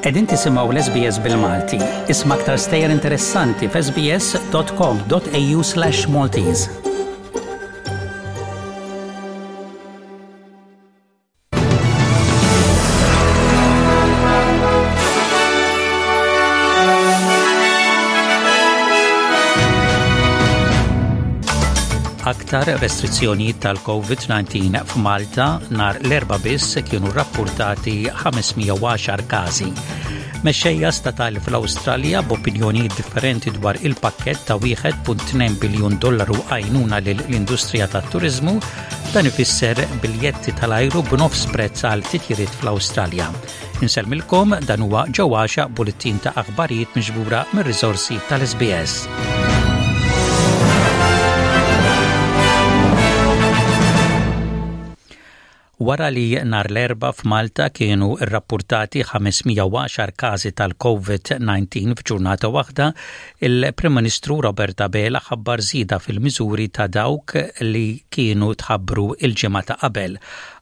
Qegħdin tisimgħu l-SBS bil-Malti. Isma' aktar stejjer interessanti f'sbs.com.au/Maltese. Aktar restrizzjonijiet tal-COVID-19 f'Malta nhar l-Erbgħa biss kienu rrappurtati 510 każi. Mexxejja statali fl-Awstralja b'opinjonijiet differenti dwar il-pakkett ta' 1.2 biljun dollaru għajnuna lill-industrija tat-turiżmu, dan ifisser biljetti tal-ajru b'nofs prezz għal titjiriet fl-Awstralja. Insellmilkom dan huwa Ġo Għaxa bullettin ta' aħbarijiet miġbura mir-riżorsi tal-SBS. Wara li nhar l-Erbgħa f'Malta kienu rrappurtati 510 każi tal-COVID-19 f'ġurnata waħda, il-Prim Ministru Robert Abela ħabbar żieda fil-miżuri ta' dawk li kienu tħabbru l-ġimgħa ta' qabel.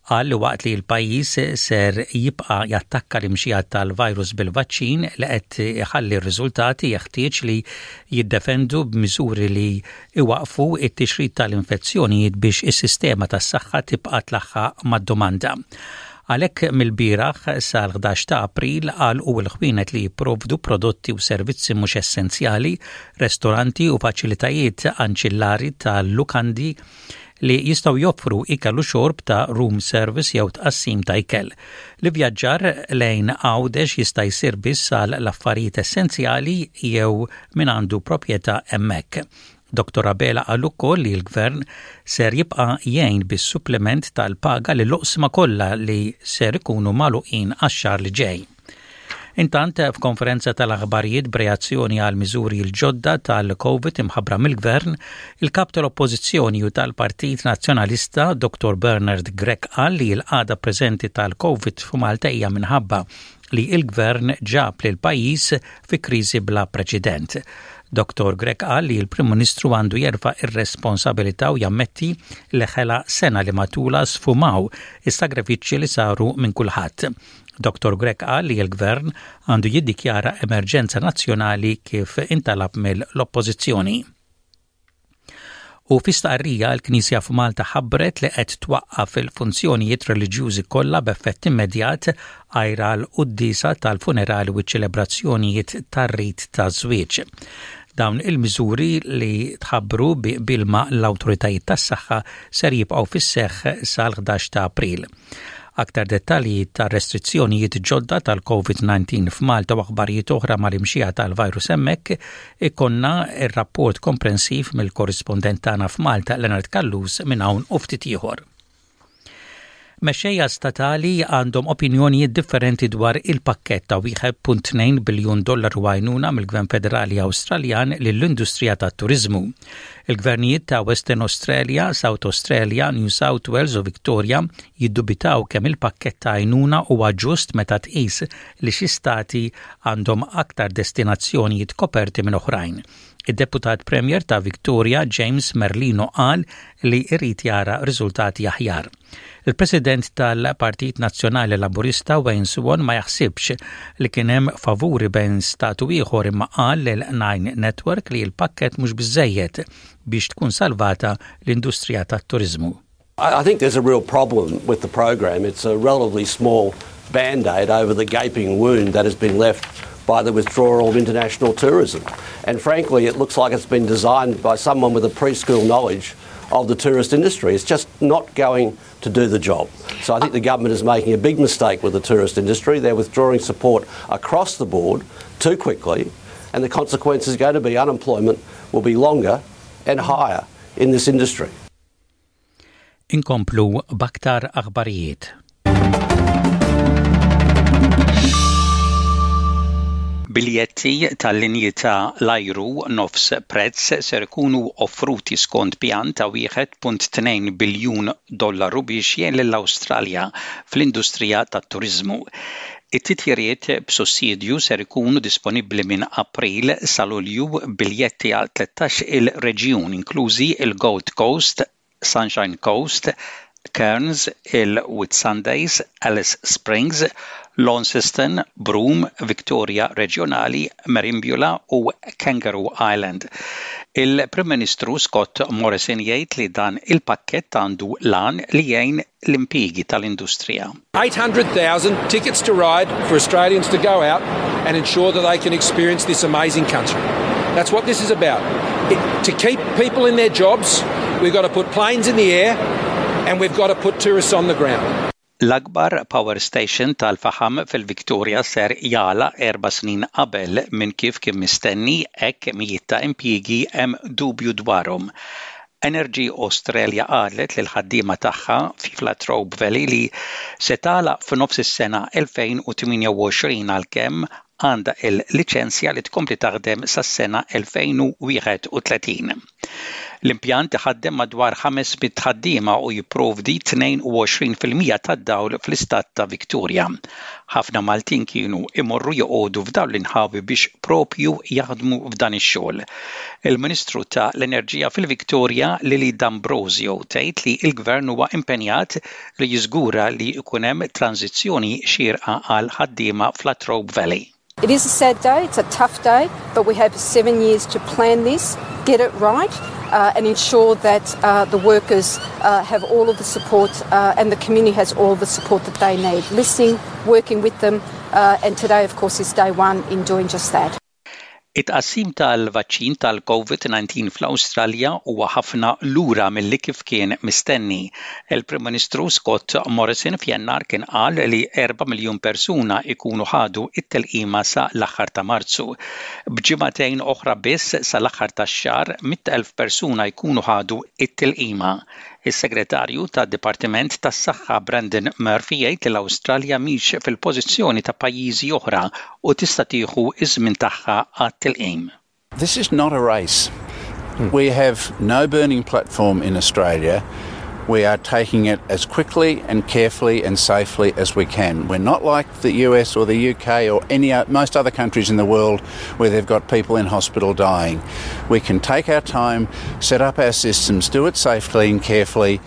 Qal li waqt li l-pajjiż ser jibqa' jattakka l-imxija tal-virus bil-vaċċin li qed iħalli r-riżultati jeħtieġ li jiddefendu b'miżuri li iwaqqfu t-tixrid tal-infezzjonijiet biex is-sistema tas-saħħa tibqa' tlaħħaq mad-domanda. Għalhekk mill-bieraħ sal-11 ta' April għalqu l-ħwienet li jipprovdu prodotti u servizzi mhux essenzjali, restoranti u faċilitajiet anċillari tal-lukandi li jistgħu joffru ikel u xorb ta' room service jew tqassim ta' ikel. L-ivvjaġġar lejn Għawdex jista' jsir biss għal l-affarijiet essenzjali jew min għandu proprjetà hemmhekk. Dottor Abela qal ukoll li l-Gvern ser jibqa' jgħin bis-suppliment tal-paga lill-oqsma kollha li ser ikunu magħluqin għax-xahar li ġej. Intant, f'konferenza tal-aħbarijiet b'reazzjoni għal miżuri l-ġodda tal-Covid imħabbra mill-Gvern, il-Kap tal-Oppożizzjoni u tal-Partit Nazzjonalista Dr. Bernard Grech qal li l-qagħda preżenti tal-Covid f'Malta hija minħabba li l-Gvern ġab lill-pajjiż fi kriżi bla preċedent. Dottor Grech qal li l-Prim Ministru għandu jerfa' r-responsabilità u jammetti li ħela sena li matulha sfumaw is-sagrifiċċji li saru minn kulħadd. Dottor Grech qal li l-Gvern għandu jiddikjara emerġenza nazzjonali kif intalab mill-Oppożizzjoni. U fi stqarrija l-Knisja f'Malta ħabbret li qed twaqqaf il-funzjonijiet reliġjużi kollha b'effett immedjat għajr għall-quddiesa tal-funerali u ċ-ċelebrazzjonijiet tar-rit taż-żwieġ. Dawn il-miżuri li tħabbru bi qbil ma' l-awtoritajiet tas-saħħa ser jibqgħu fis-seħħ sal-11 ta' April. Aktar dettalji tar-restrizzjonijiet ġodda tal-COVID-19 f'Malta u aħbarijiet oħra mal-imxija tal-virus hemmhekk ikollna r-rapport komprensiv mill-korrispondent tagħna f'Malta Leonard Callus minn hawn u ftit ieħor. Mexxejja statali għandhom opinjonijiet differenti dwar il-pakkett ta' 1.2 biljun dollaru għajnuna mill-Gvern Federali Awstraljan lill-industrija tat-turiżmu. Il-gvernijiet ta' Western Australia, South Australia, New South Wales u Victoria jiddubitaw kemm il-pakkett ta' għajnuna huwa ġust meta tqis li xi stati għandhom aktar destinazzjonijiet koperti minn oħrajn. Id-Deputat Premier ta' Victoria, James Merlino qal li jrid jara riżultati aħjar. Il-President tal-Partit Nazzjonali Laburista Wayne Swan ma jaħsibx li kien hemm favuri bejn stat u ieħor imma qal lil Nine Network li l-pakkett mhux biżżejjed biex tkun salvata l-industrija tat-turiżmu. I think there's a real problem with the program. It's a relatively small band-aid over the gaping wound that has been left by the withdrawal of international tourism. And frankly, it looks like it's been designed by someone with a preschool knowledge of the tourist industry. It's just not going to do the job. So I think the government is making a big mistake with the tourist industry. They're withdrawing support across the board too quickly, and the consequence is going to be unemployment will be longer and higher in this industry. Inkomplu b'aktar aħbarijiet. Biljetti tal-linji ta' l-ajru nofs prezz ser ikunu offruti skont pjan ta' 1.2 biljun dollaru biex jgħin lill-Awstralja fl-industrija tat-turiżmu. It-titjiriet b'sussidju ser ikunu disponibbli minn April sa Lulju b'biljetti għal 13 il reġjun inklużi l-Gold Coast, Sunshine Coast, Cairns, il-Whitsundays, Alice Springs, Launceston, Broome, Victoria Reġjonali, Merimbula u Kangaroo Island. Il-Prim Ministru Scott Morrison jgħid li dan il-pakkett għandu l-għan li jgħin l-impjiegi tal-industrija. 800,000 tickets to ride for Australians to go out and ensure that they can experience this amazing country. That's what this is about. It, to keep people in their jobs, we've got to put planes in the air and we've got to put tourists on the ground. L-akbar power station tal-faħam fil-Victoria ser jagħlaq erba' snin qabel minn kif kien mistenni hekk mijiet ta' impjiegi hemm dubju dwarhom. Energy Australia qalet lill-ħaddiema tagħha fi Latrobe Valley li se tagħlaq f'nofs is-sena 2028 għalkemm għandha l-liċenzja li tkompli taħdem sas-sena 2031. L-impjant iħaddem madwar 500 ħaddiema u jipprovdi 22% tad-dawl fl-istat ta' Victoria. Ħafna Maltin kienu imorru joqogħdu f'dawn l-inħawi biex propju jaħdmu f'dan ix-xogħol. Il-Ministru ta' l-Enerġija fil-Victoria, Lily D'Ambrosio, tgħid li l-Gvern huwa impenjat li jiżgura li jkun hemm tranżizzjoni xierqa għall-ħaddiema f'Latrobe Valley. It is a sad day, it's a tough day, but we have seven years to plan this, get it right, uh, and ensure that uh, the workers uh, have all of the support uh, and the community has all the support that they need. Listening, working with them, uh, and today, of course, is day one in doing just that. It-tqassim tal-vaċċin tal-Covid-19 fl-Awstralja huwa ħafna lura milli kif kien mistenni. Il-Prim Ministru Scott Morrison f'Jannar kien qal li 4 miljun persuna jkunu ħadu t-tilqima sa l-aħħar ta' Marzu. B'ġimagħtejn oħra biss sa l-aħħar tax-xahar, 100,000 persuna jkunu ħadu t-tilqima. Is-Segretarju tad-Dipartiment tas-Saħħa Brendan Murphy jgħid li l-Awstralja mhix fil-pożizzjoni ta' pajjiżi oħra u tista' tieħu ż-żmien tagħha għat-tilqim. This is not a race. We have no burning platform in Australia. We are taking it as quickly and carefully and safely as we can. We're not like the US or the UK or any most other countries in the world where they've got people in hospital dying. We can take our time, set up our systems, do it safely and carefully.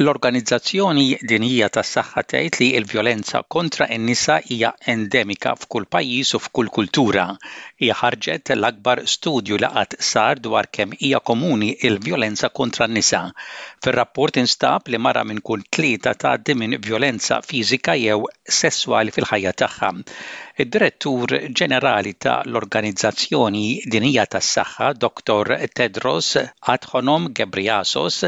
L-Organizzazzjoni Dinjija tas-Saħħa tgħid li l-vjolenza kontra n-nisa hija endemika f'kull pajjiż u f'kull kultura. Hija ħarġet l-akbar studju li qatt sar dwar kemm hija komuni l-vjolenza kontra n-nisa. Fir-rapport instab li mara minn kull tlieta tgħaddi minn vjolenza fiżika jew sesswali fil-ħajja tagħha. Id-Direttur Ġenerali ta' l-Organizzazzjoni Dinjija tas-Saħħa, Dottor Tedros Adhanom Ghebreyesus,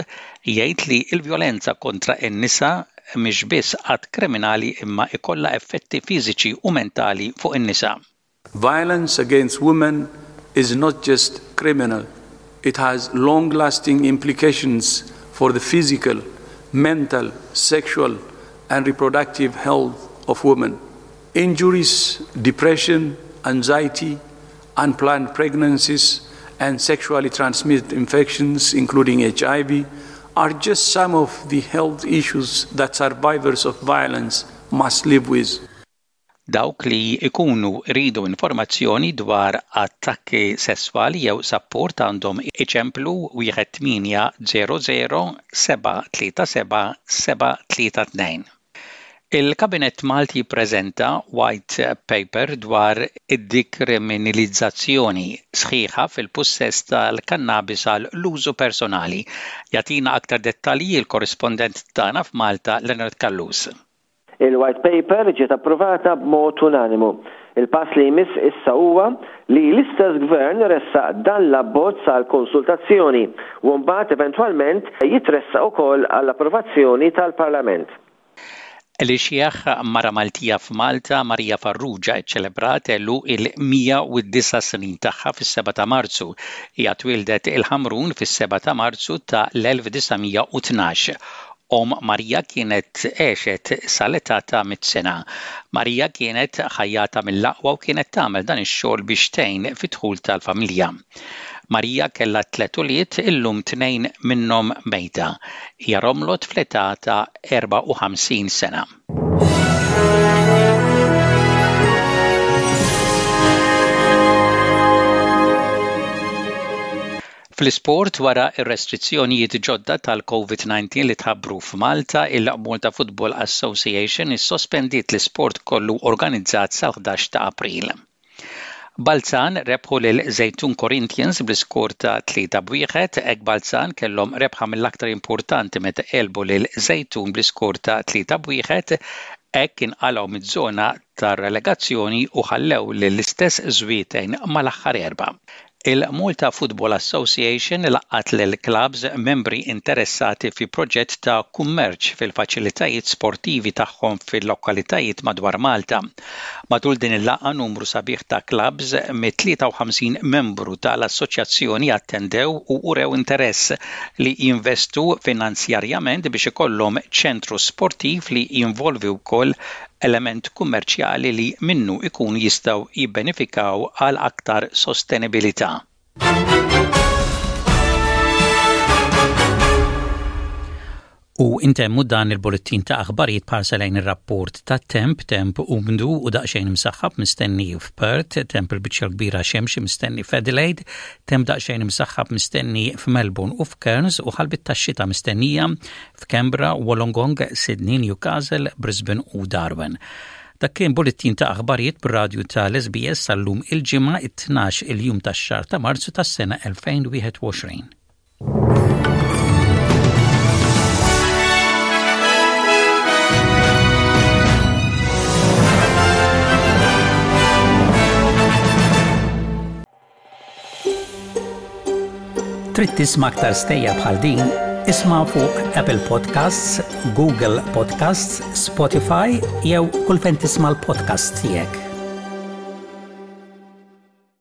jgħid li l-vjolenza kontra n-nisa mhix biss att kriminali imma jkollha effetti fiżiċi u mentali fuq in-nisa. Violence against women is not just criminal, it has long-lasting implications for the physical, mental, sexual and reproductive health of women. Injuries, depression, anxiety, unplanned pregnancies, and sexually transmitted infections, including HIV, are just some of the health issues that survivors of violence must live with. Dawk li jkunu jridu informazzjoni dwar attakki sesswali jew sapport għandhom iċemplu 1800 737 732. Il-Kabinett Malti ppreżenta White Paper dwar id-dikriminilizzazzjoni sħiħa fil-pussess tal-kannabis għal l-użu personali. Jagħtina aktar dettalji l-korrispondent tagħna f'Malta Leonard Callus. Il-White Paper ġiet approvata b'mod unanimu. Il-pass li jmiss issa huwa li l-istess Gvern iressaq dan l-abbozz għal konsultazzjoni u mbagħad eventwalment jitressaq ukoll għall-approvazzjoni tal-Parlament. L-ixjeħ mara Maltija f'Malta, Maria Farrugia, ċċelebrat għeluq il-109 snin tagħha fis-7 ta' Marzu. Hija twieldet il-Ħamrun fis-7 ta' Marzu ta' l-1912. Omm Marija kienet għexet sal-età ta' mitt sena. Marija kienet ħajjata mill-aqwa u kienet tagħmel dan ix-xogħol biex tgħin fid-dħul tal-familja. Marija kellha tliet ulied, illum tnejn minnhom mejta. Hija romlot fl-età ta' 54 sena. Fl-isport, wara r-restrizzjonijiet ġodda tal-Covid-19 li tħabbru f'Malta, il-Malta Football Association issospendiet l-isport kollu organizzat sal-11 ta' April. Balzan rebħu lil Żejtun Corinthians bl-iskor ta' 3 b'wieħed, hekk Balzan kellhom rebħa mill-aktar importanti meta għelbu lil Żejtun bl-iskor ta' 3 b'wieħed, hekk inqalgħu miż-żona tar-relegazzjoni u ħallew lill-istess Żwieten mal-aħħar erbgħa. Il-Malta Football Association laqgħet lill-klabbs membri interessati fi proġett ta' kummerċ fil-faċilitajiet sportivi tagħhom fil-lokalitajiet madwar Malta. Matul din il-laqgħa numru sabiħ ta' klabbs mit-53 membru tal-assoċjazzjoni attendew u urew interess li jinvestu finanzjarjament biex ikollhom ċentru sportiv li jinvolvi wkoll element kummerċjali li minnu jkunu jistgħu jibbenefikaw għal aktar sostenibilità. U intemmu dan il-bullettin ta' aħbarijiet b'ħarsa lejn ir-rapport tat-temp, temp umdu u daqsxejn imsaħħab mistenni f'Perth, temp il-biċċa l-kbira xemxi mistenni f'Adelaide, temp daqsxejn imsaħħab mistenni f'Melbourne u f'Cairns u ħalbit tax-xita mistennija f'Canberra, Wollongong, Sydney, Newcastle, Brisbane u Darwin. Dak kien bullettin ta' aħbarijiet bir-radju tal-SBS sal-lum il-Ġimgħa it-12 il-jum tax-xahar ta' Marzu tas-sena 2021. Trid tisma' aktar stejjer bħal din? Isma' fuq Apple Podcasts, Google Podcasts, Spotify jew kull fejn tisma' l-podcasts tiegħek.